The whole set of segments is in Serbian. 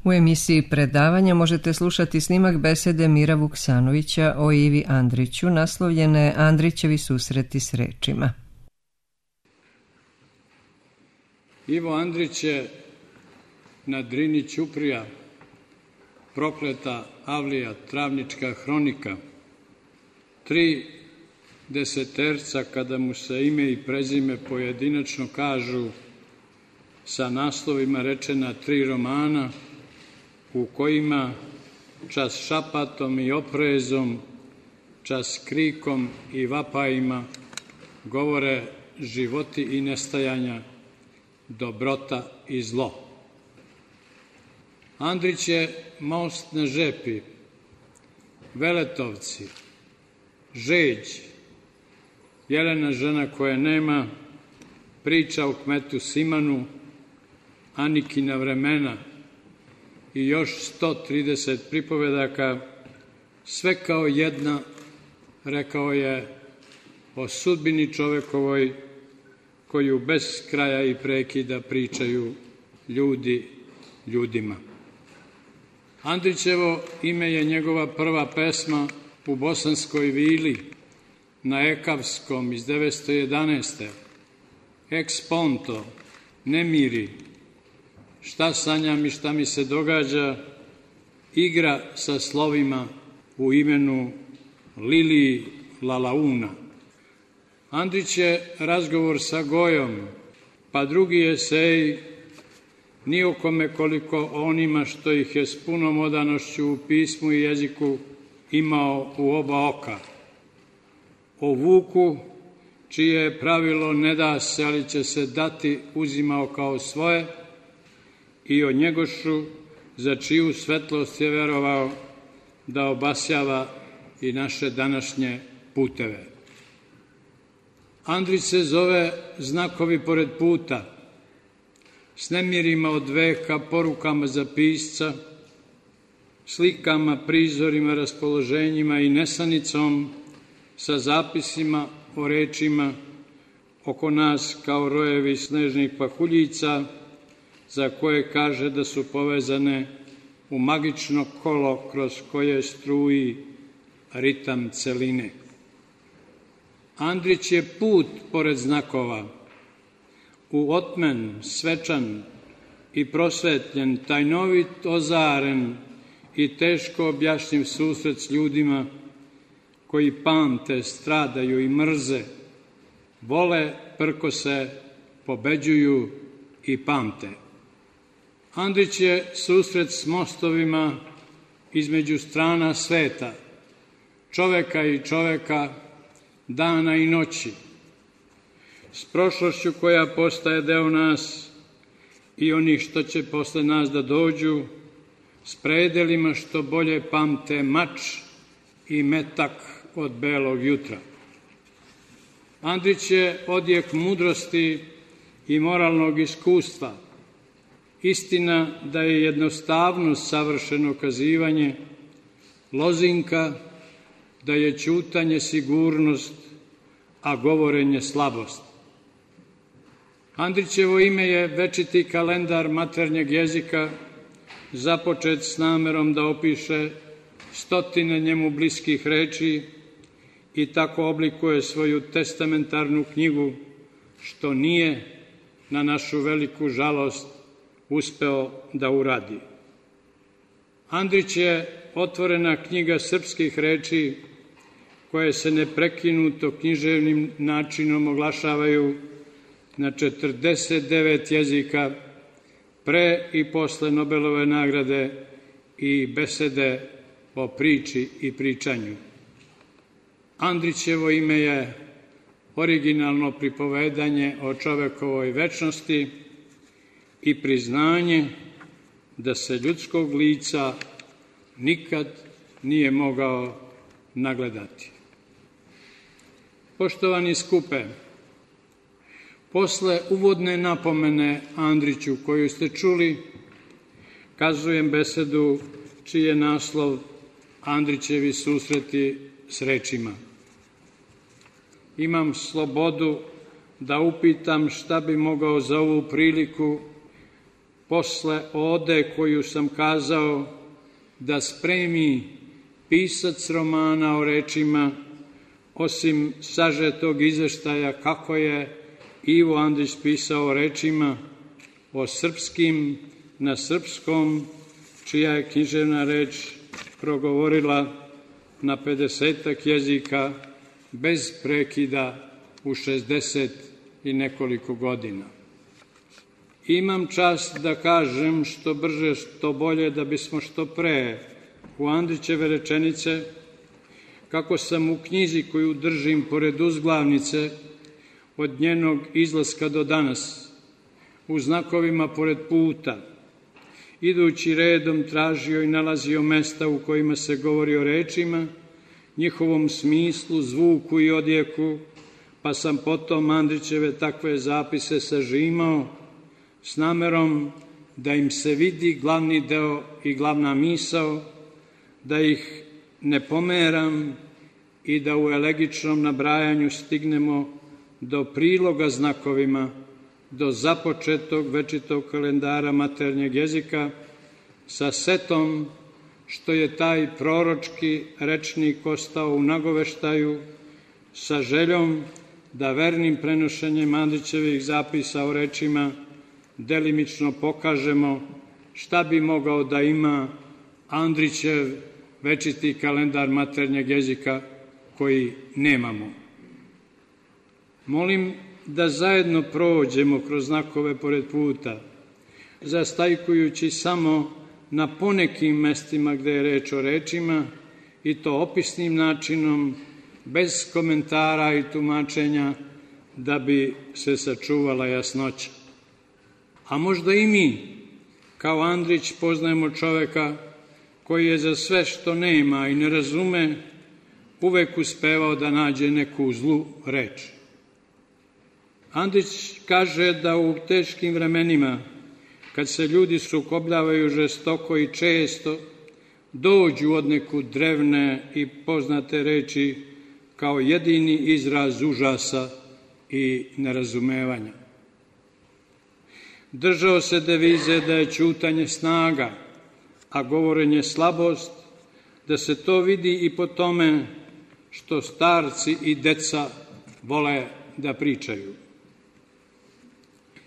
U emisiji predavanja možete slušati snimak besede Mira Vuksanovića o Ivi Andriću, naslovljene Andrićevi susreti s rečima. Ivo Andrić je na Drini ćuprija, prokleta avlija, travnička hronika, 3 deseterca kada mu se ime i prezime pojedinačno kažu, sa naslovima rečena 3 romana u kojima čas šapatom i oprezom, čas krikom i vapajima govore životi i nestajanja, dobrota i zlo. Andrić je most na Žepi, Veletovci, Žeđ, Jelena žena koje nema, priča o kmetu Simanu, Anikina vremena i još 130 pripovedaka, sve kao jedna, rekao je, o sudbini čovekovoj koju bez kraja i prekida pričaju ljudi ljudima. Andrićevo ime je njegova prva pesma u Bosanskoj vili na Ekavskom iz 911. Ex ponto, nemiri, šta sanjam i šta mi se događa, igra sa slovima u imenu Lili Lalauna. Andrić je razgovor sa Gojom, pa drugi esej ni o kome koliko onima što ih je s punom odanošću u pismu i jeziku imao u oba oka. O Vuku, čije pravilo ne da se, ali će se dati, uzimao kao svoje, i o Njegošu, za čiju svetlost je verovao da obasjava i naše današnje puteve. Andrić se zove Znakovi pored puta, s nemirima od veka, porukama za pisca, slikama, prizorima, raspoloženjima i nesanicom, sa zapisima o rečima oko nas kao rojevi snežnih pahuljica, za koje kaže da su povezane u magično kolo kroz koje struji ritam celine. Andrić je put pored znakova, u otmen, svečan i prosvetljen, tajnovit, ozaren i teško objašnjiv susret s ljudima koji pamte, stradaju i mrze, vole, prkose, pobeđuju i pamte. Andrić je susret s mostovima između strana sveta, čoveka i čoveka, dana i noći, s prošlošću koja postaje deo nas i onih što će posle nas da dođu, s predelima što bolje pamte mač i metak od belog jutra. Andrić je odjek mudrosti i moralnog iskustva, istina da je jednostavnost savršeno kazivanje, lozinka da je ćutanje sigurnost, a govorenje slabost. Andrićevo ime je večiti kalendar maternjeg jezika, započet s namerom da opiše 100 njemu bliskih reči i tako oblikuje svoju testamentarnu knjigu, što nije, na našu veliku žalost, uspeo da uradi. Andrić je otvorena knjiga srpskih reči koje se neprekinuto književnim načinom oglašavaju na 49 jezika pre i posle Nobelove nagrade i besede o priči i pričanju. Andrićevo ime je originalno pripovedanje o čovekovoj večnosti i priznanje da se ljudskog lica nikad nije mogao nagledati. Poštovani skupe, posle uvodne napomene Andriću koju ste čuli, kazujem besedu čiji je naslov Andrićevi susreti s rečima. Imam slobodu da upitam šta bi mogao za ovu priliku posle ode koju sam kazao da spremi pisac romana o rečima, osim sažetog izveštaja kako je Ivo Andrić pisao o rečima, o srpskim na srpskom, čija je književna reč progovorila na 50 jezika bez prekida u 60 i nekoliko godina. Imam čast da kažem što brže, što bolje, da bismo što pre u Andrićeve rečenice, kako sam u knjizi koju držim pored uzglavnice od njenog izlaska do danas, u znakovima pored puta, idući redom tražio i nalazio mesta u kojima se govori o rečima, njihovom smislu, zvuku i odjeku, pa sam potom Andrićeve takve zapise sažimao s namerom da im se vidi glavni deo i glavna misao, da ih ne pomeram i da u elegičnom nabrajanju stignemo do priloga znakovima, do započetog večitog kalendara maternjeg jezika, sa setom što je taj proročki rečnik ostao u nagoveštaju, sa željom da vernim prenošenjem Andrićevih zapisa o rečima delimično pokažemo šta bi mogao da ima Andrićev večiti kalendar maternjeg jezika koji nemamo. Molim da zajedno prođemo kroz znakove pored puta, zastajkujući samo na ponekim mestima gde je reč o rečima, i to opisnim načinom, bez komentara i tumačenja, da bi se sačuvala jasnoća. A možda i mi, kao Andrić, poznajemo čoveka koji je za sve što nema i ne razume uvek uspevao da nađe neku zlu reč. Andrić kaže da u teškim vremenima, kad se ljudi sukobljavaju žestoko i često, dođu od neku drevne i poznate reči kao jedini izraz užasa i nerazumevanja. Držao se devize da je ćutanje snaga, a govorenje slabost, da se to vidi i po tome što starci i deca vole da pričaju.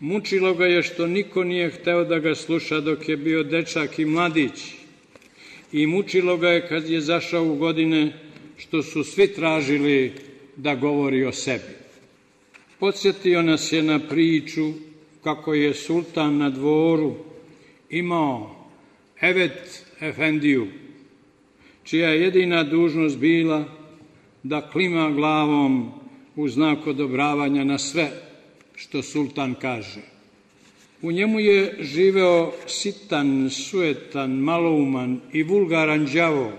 Mučilo ga je što niko nije hteo da ga sluša dok je bio dečak i mladić, i mučilo ga je kad je zašao u godine što su svi tražili da govori o sebi. Podsjetio nas je na priču kako je sultan na dvoru imao Evet Efendiju, čija je jedina dužnost bila da klima glavom u znak odobravanja na sve što sultan kaže. U njemu je živeo sitan, sujetan, malouman i vulgaran đavo,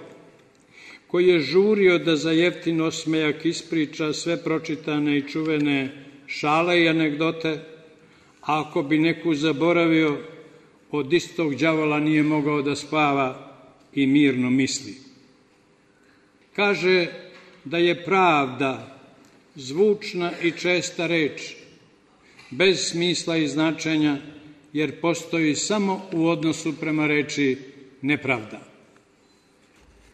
koji je žurio da za jeftin osmejak ispriča sve pročitane i čuvene šale i anegdote, a ako bi neku zaboravio, od istog đavola nije mogao da spava i mirno misli. Kaže da je pravda zvučna i česta reč, bez smisla i značenja, jer postoji samo u odnosu prema reči nepravda.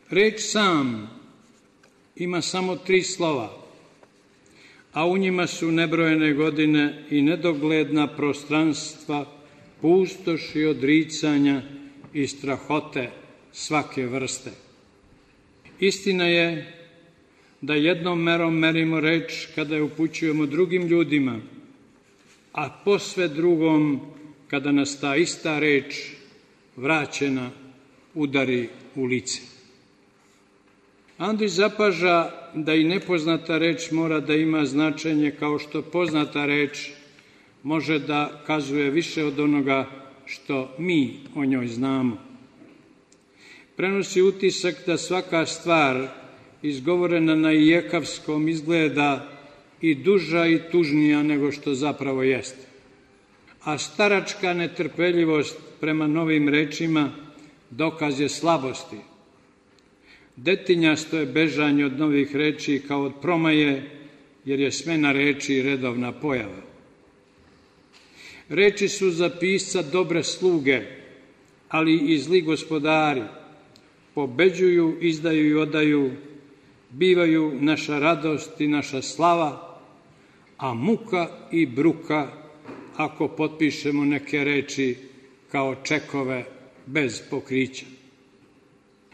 Reč sam ima samo 3 slova, a u njima su nebrojene godine i nedogledna prostranstva, pustoši odricanja i strahote svake vrste. Istina je da jednom merom merimo reč kada je upućujemo drugim ljudima, a posve drugom kada nas ta ista reč vraćena udari u lice. Andrić zapaža da i nepoznata reč mora da ima značenje kao što poznata reč može da kazuje više od onoga što mi o njoj znamo. Prenosi utisak da svaka stvar izgovorena na ijekavskom izgleda i duža i tužnija nego što zapravo jeste. A staračka netrpeljivost prema novim rečima dokaz je slabosti. Detinjasto je bežanje od novih reči kao od promaje, jer je smena reči redovna pojava. Reči su za pisca dobre sluge, ali i zli gospodari. Pobeđuju, izdaju i odaju, bivaju naša radost i naša slava, a muka i bruka ako potpišemo neke reči kao čekove bez pokrića.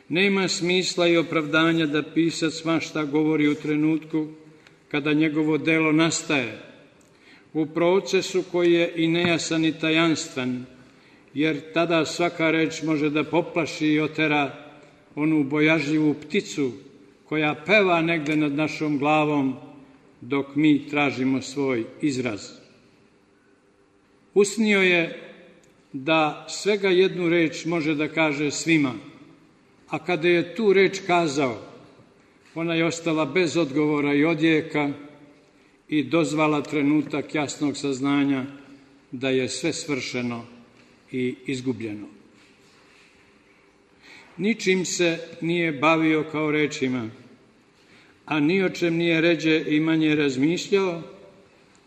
Nema smisla i opravdanja da pisac svašta govori u trenutku kada njegovo delo nastaje, u procesu koji je i nejasan i tajanstven, jer tada svaka reč može da poplaši i otera onu bojažljivu pticu koja peva negde nad našom glavom dok mi tražimo svoj izraz. Usnio je da svega jednu reč može da kaže svima, a kada je tu reč kazao, ona je ostala bez odgovora i odjeka i dozvala trenutak jasnog saznanja da je sve svršeno i izgubljeno. Ničim se nije bavio kao rečima, a ni o čem nije ređe i manje razmišljao,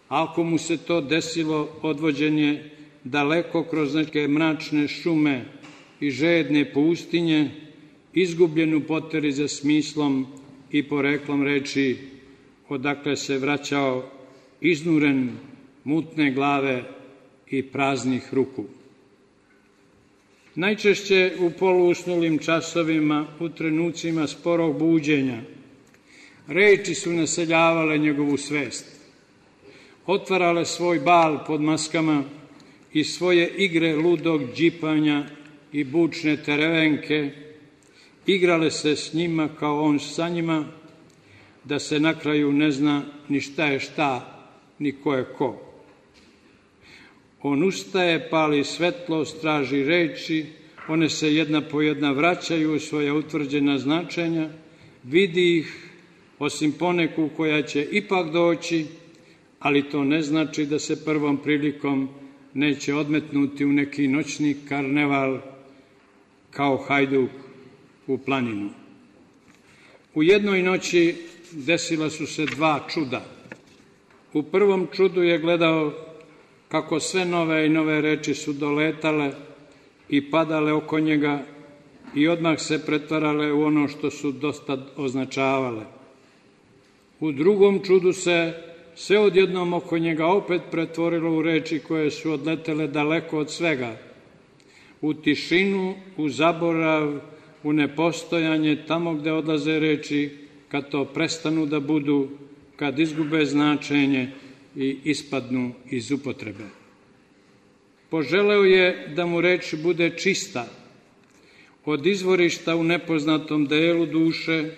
a ako mu se to desilo, odvođen je daleko kroz neke mračne šume i žedne pustinje, izgubljen u poteri za smislom i poreklom reči, odakle se vraćao iznuren, mutne glave i praznih ruku. Najčešće u poluusnulim časovima, u trenucima sporog buđenja, reči su naseljavale njegovu svest, otvarale svoj bal pod maskama i svoje igre ludog džipanja i bučne terevenke, igrale se s njima kao on sa njima, da se na kraju ne zna ni šta je šta, ni ko je ko. On ustaje, pali svetlost, traži reči, one se jedna po jedna vraćaju u svoja utvrđena značenja, vidi ih, osim poneku koja će ipak doći, ali to ne znači da se prvom prilikom neće odmetnuti u neki noćni karneval kao hajduk u planinu. U jednoj noći desila su se dva čuda. U prvom čudu je gledao kako sve nove i nove reči su doletale i padale oko njega i odmah se pretvarale u ono što su dosta označavale. U drugom čudu se sve odjednom oko njega opet pretvorilo u reči koje su odletele daleko od svega, u tišinu, u zaborav, u nepostojanje, tamo gde odlaze reči, kad to prestanu da budu, kad izgube značenje i ispadnu iz upotrebe. Poželeo je da mu reč bude čista, od izvorišta u nepoznatom delu duše,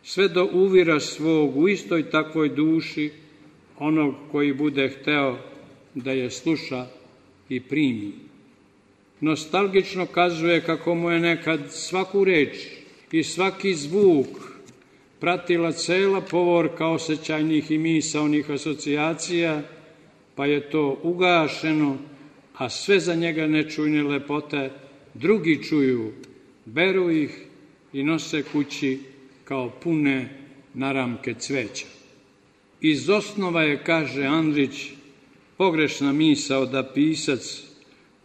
sve do uvira svog u istoj takvoj duši, onog koji bude hteo da je sluša i primi. Nostalgično kazuje kako mu je nekad svaku reč i svaki zvuk pratila cela povorka osjećajnih i misaonih asocijacija, pa je to ugašeno, a sve za njega nečujne lepote drugi čuju, beru ih i nose kući kao pune naramke cveća. Iz osnova je, kaže Andrić, pogrešna misao da pisac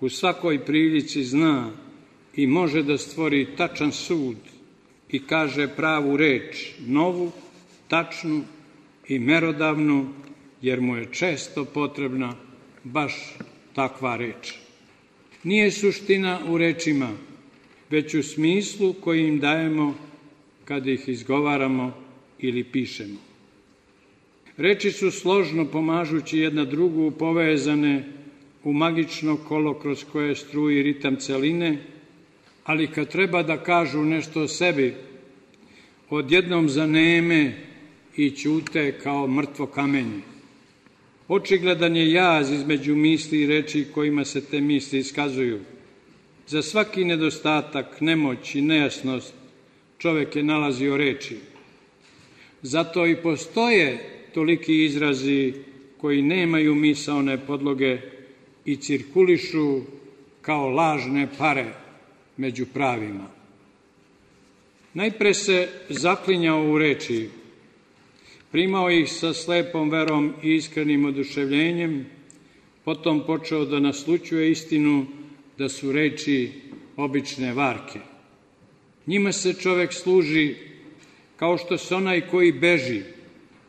u svakoj prilici zna i može da stvori tačan sud i kaže pravu reč, novu, tačnu i merodavnu, jer mu je često potrebna baš takva reč. Nije suština u rečima, već u smislu koji im dajemo kad ih izgovaramo ili pišemo. Reči su složno pomažući jedna drugu povezane u magično kolo kroz koje struji ritam celine, ali kad treba da kažu nešto o sebi, odjednom zaneme i ćute kao mrtvo kamenje. Očigledan je jaz između misli i reči kojima se te misli iskazuju. Za svaki nedostatak, nemoć i nejasnost čovek je nalazio reči. Zato i postoje toliki izrazi koji nemaju misaone podloge i cirkulišu kao lažne pare među pravima. Najpre se zaklinjao u reči, primao ih sa slepom verom i iskrenim oduševljenjem, Potom počeo da naslućuje istinu da su reči obične varke. Njima se čovek služi kao što se onaj koji beži,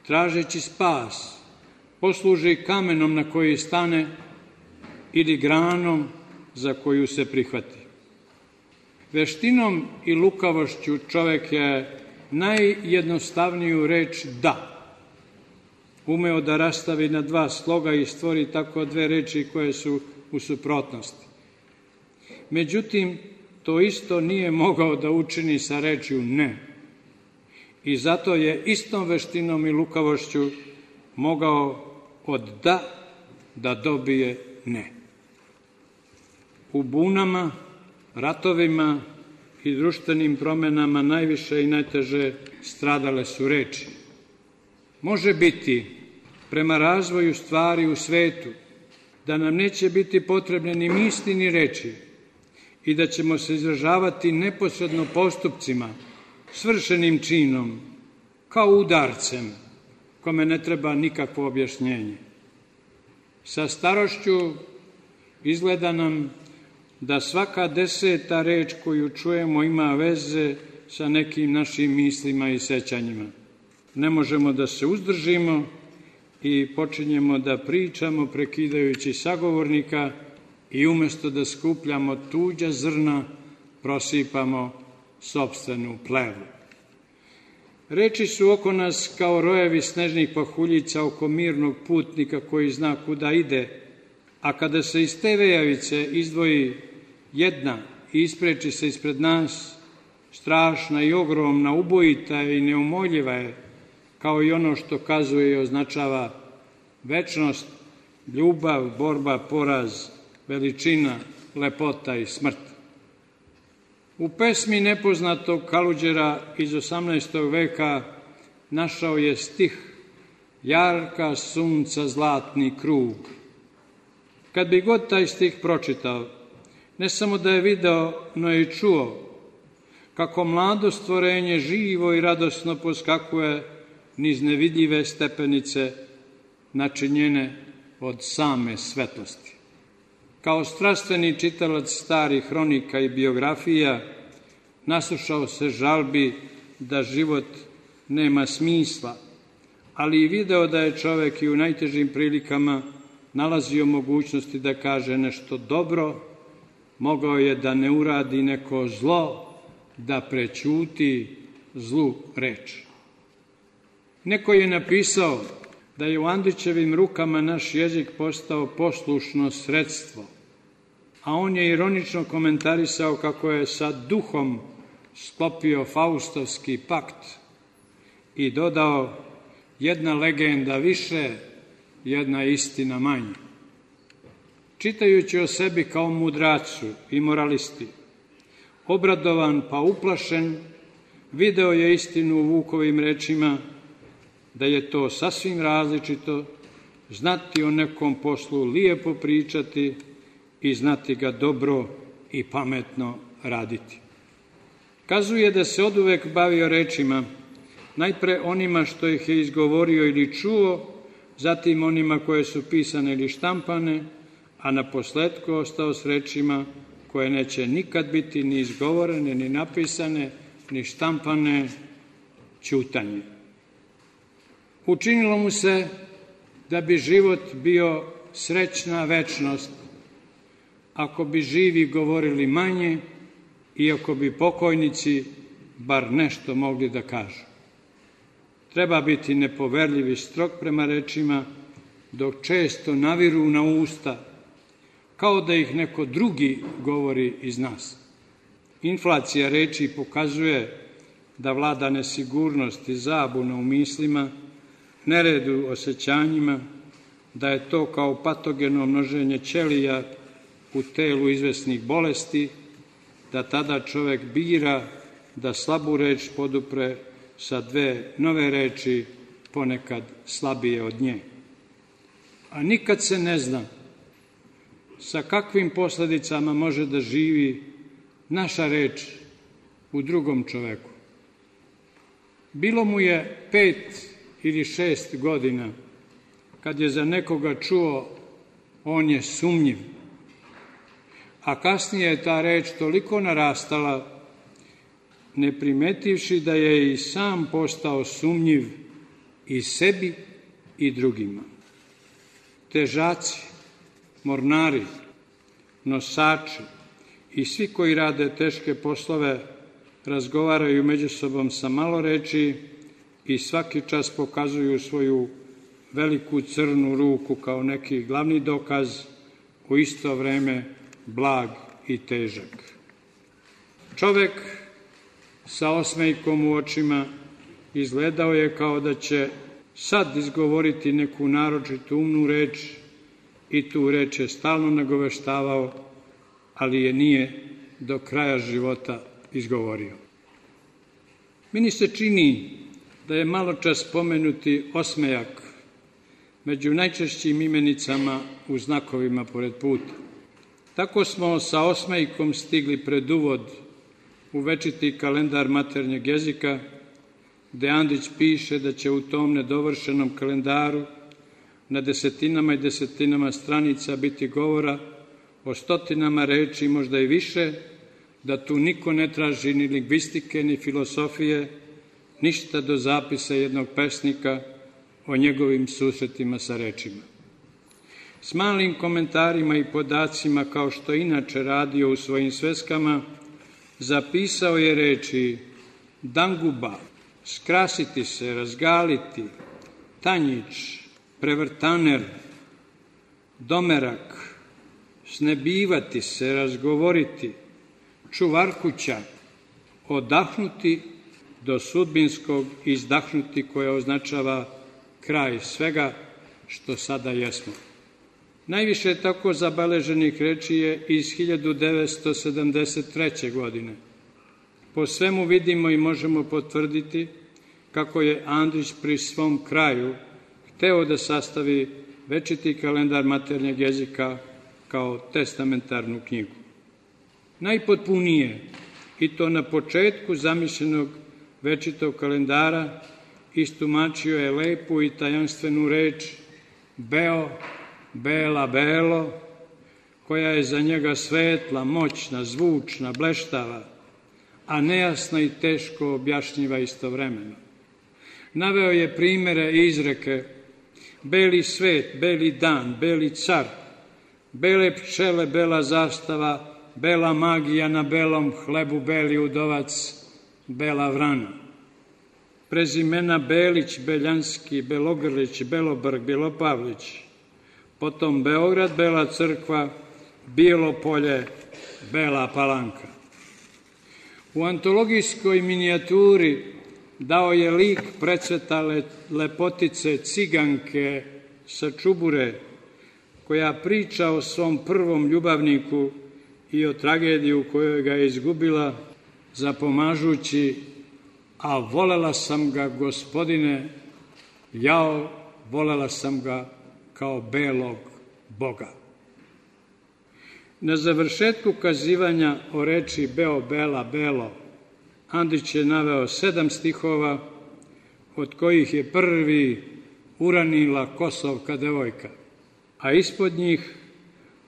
tražeći spas, posluži kamenom na koji stane ili granom za koju se prihvati. Veštinom i lukavošću čovek je najjednostavniju reč da umeo da rastavi na dva sloga i stvori tako dve reči koje su u suprotnosti. Međutim, to isto nije mogao da učini sa rečju ne. I zato je istom veštinom i lukavošću mogao od da dobije ne. U bunama, ratovima i društvenim promenama najviše i najteže stradale su reči. Može biti, prema razvoju stvari u svetu, da nam neće biti potrebne ni misli ni reči i da ćemo se izražavati neposredno postupcima, svršenim činom, kao udarcem, kome ne treba nikakvo objašnjenje. Sa starošću izgleda nam da svaka 10. reč koju čujemo ima veze sa nekim našim mislima i sećanjima. Ne možemo da se uzdržimo i počinjemo da pričamo prekidajući sagovornika i umesto da skupljamo tuđa zrna, prosipamo sopstvenu plevu. Reči su oko nas kao rojevi snežnih pahuljica oko mirnog putnika koji zna kuda ide, a kada se iz te vejavice izdvoji jedna i ispreči se ispred nas, strašna i ogromna, ubojita i neumoljiva je, kao i ono što kazuje i označava večnost, ljubav, borba, poraz, veličina, lepota i smrt. U pesmi nepoznatog Kaluđera iz 18. veka našao je stih Jarka sunca zlatni krug. Kad bi god taj stih pročitao, ne samo da je video, no i čuo kako mlado stvorenje živo i radosno poskakuje niz nevidljive stepenice načinjene od same svetlosti. Kao strastveni čitalac starih hronika i biografija naslušao se žalbi da život nema smisla, ali i video da je čovek i u najtežim prilikama nalazio mogućnosti da kaže nešto dobro, mogao je da ne uradi neko zlo, da prećuti zlu reč. Neko je napisao da je u Andrićevim rukama naš jezik postao poslušno sredstvo, a on je ironično komentarisao kako je sa duhom sklopio faustovski pakt i dodao jedna legenda više, jedna istina manje. Čitajući o sebi kao mudracu i moralisti, obradovan pa uplašen, video je istinu u Vukovim rečima da je to sasvim različito, znati o nekom poslu lijepo pričati i znati ga dobro i pametno raditi. Kazuje da se oduvek bavio rečima, najpre onima što ih je izgovorio ili čuo, zatim onima koje su pisane ili štampane, a na posletku ostao s rečima koje neće nikad biti ni izgovorene, ni napisane, ni štampane, ćutanje. Učinilo mu se da bi život bio srećna večnost ako bi živi govorili manje i ako bi pokojnici bar nešto mogli da kažu. Treba biti nepoverljiv i strog prema rečima, dok često naviru na usta, kao da ih neko drugi govori iz nas. Inflacija reči pokazuje da vlada nesigurnost i zabuna u mislima, nered u osjećanjima, da je to kao patogeno množenje ćelija u telu izvesnih bolesti, da tada čovek bira da slabu reč podupre sa dve nove reči, ponekad slabije od nje. A nikad se ne zna sa kakvim posledicama može da živi naša reč u drugom čoveku. Bilo mu je 5 ili 6 godina kad je za nekoga čuo on je sumnjiv. A kasnije je ta reč toliko narastala, ne primetivši da je i sam postao sumnjiv i sebi i drugima. Težaci, mornari, nosači i svi koji rade teške poslove razgovaraju među sobom sa malo reči i svaki čas pokazuju svoju veliku crnu ruku kao neki glavni dokaz, u isto vreme blag i težak. Čovek sa osmejkom u očima izgledao je kao da će sad izgovoriti neku naročitu umnu reč i tu reč je stalno nagoveštavao, ali je nije do kraja života izgovorio. Meni se čini da je maločas spomenuti osmejak među najčešćim imenicama u znakovima pored puta. Tako smo sa osmejkom stigli pred uvod u večiti kalendar maternjeg jezika, gde Andrić piše da će u tom nedovršenom kalendaru na desetinama i desetinama stranica biti govora o stotinama reči, možda i više, da tu niko ne traži ni lingvistike, ni filosofije, ništa do zapisa jednog pesnika o njegovim susretima sa rečima. S malim komentarima i podacima, kao što inače radio u svojim sveskama, zapisao je reči danguba, skrasiti se, razgaliti, tanjić, prevrtaner, domerak, snebivati se, razgovoriti, čuvarkuća, odahnuti do sudbinskog izdahnuti, koje označava kraj svega što sada jesmo. Najviše tako zabeleženih reči je iz 1973. godine. Po svemu vidimo i možemo potvrditi kako je Andrić pri svom kraju hteo da sastavi večiti kalendar maternjeg jezika kao testamentarnu knjigu. Najpotpunije, i to na početku zamišljenog večitog kalendara, istumačio je lepu i tajanstvenu reč beo, bela, belo, koja je za njega svetla, moćna, zvučna, bleštava, a nejasna i teško objašnjiva istovremeno. Naveo je primere i izreke: beli svet, beli dan, beli car, bele pčele, bela zastava, bela magija na belom hlebu, beli udovac, bela vrana. Prezimena Belić, Beljanski, Belogrlić, Belobrg, Belopavlić, potom Beograd, Bela crkva, Bijelo polje, Bela Palanka. U antologijskoj minijaturi dao je lik precvetale lepotice ciganke sa Čubure, koja priča o svom prvom ljubavniku i o tragediji u kojoj ga je izgubila, zapomažući: a volela sam ga, gospodine, jao, volela sam ga kao belog Boga. Na završetku kazivanja o reči beo, bela, belo, Andrić je naveo 7 stihova, od kojih je prvi uranila kosovka devojka, a ispod njih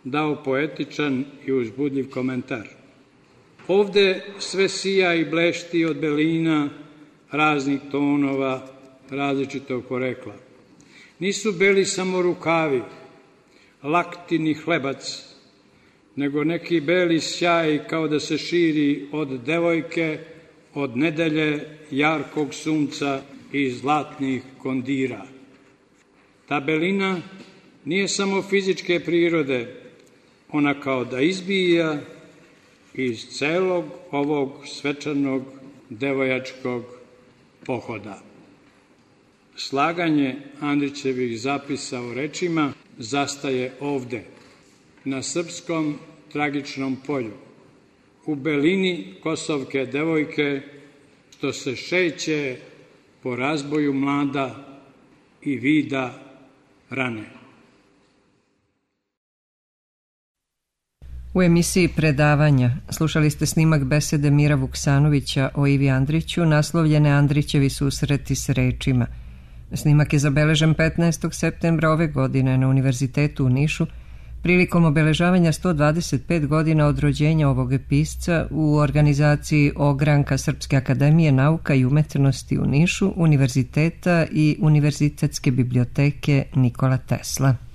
dao poetičan i uzbudljiv komentar. Ovde sve sija i blešti od belina raznih tonova, različitog porekla. Nisu beli samo rukavi, lakti ni hlebac, nego neki beli sjaj kao da se širi od devojke, od nedelje, jarkog sunca i zlatnih kondira. Ta belina nije samo fizičke prirode, ona kao da izbija iz celog ovog svečanog devojačkog pohoda. Slaganje Andrićevih zapisa o rečima zastaje ovde, na srpskom tragičnom polju, u belini kosovke devojke, što se šeće po razboju mlada i vida rane. U emisiji Predavanja slušali ste snimak besede Mira Vuksanovića o Ivi Andriću, naslovljene Andrićevi susreti s rečima. Snimak je zabeležen 15. septembra ove godine na Univerzitetu u Nišu Prilikom obeležavanja 125 godina od rođenja ovog pisca u organizaciji Ogranka Srpske akademije nauka i umetnosti u Nišu, Univerziteta i Univerzitetske biblioteke Nikola Tesla.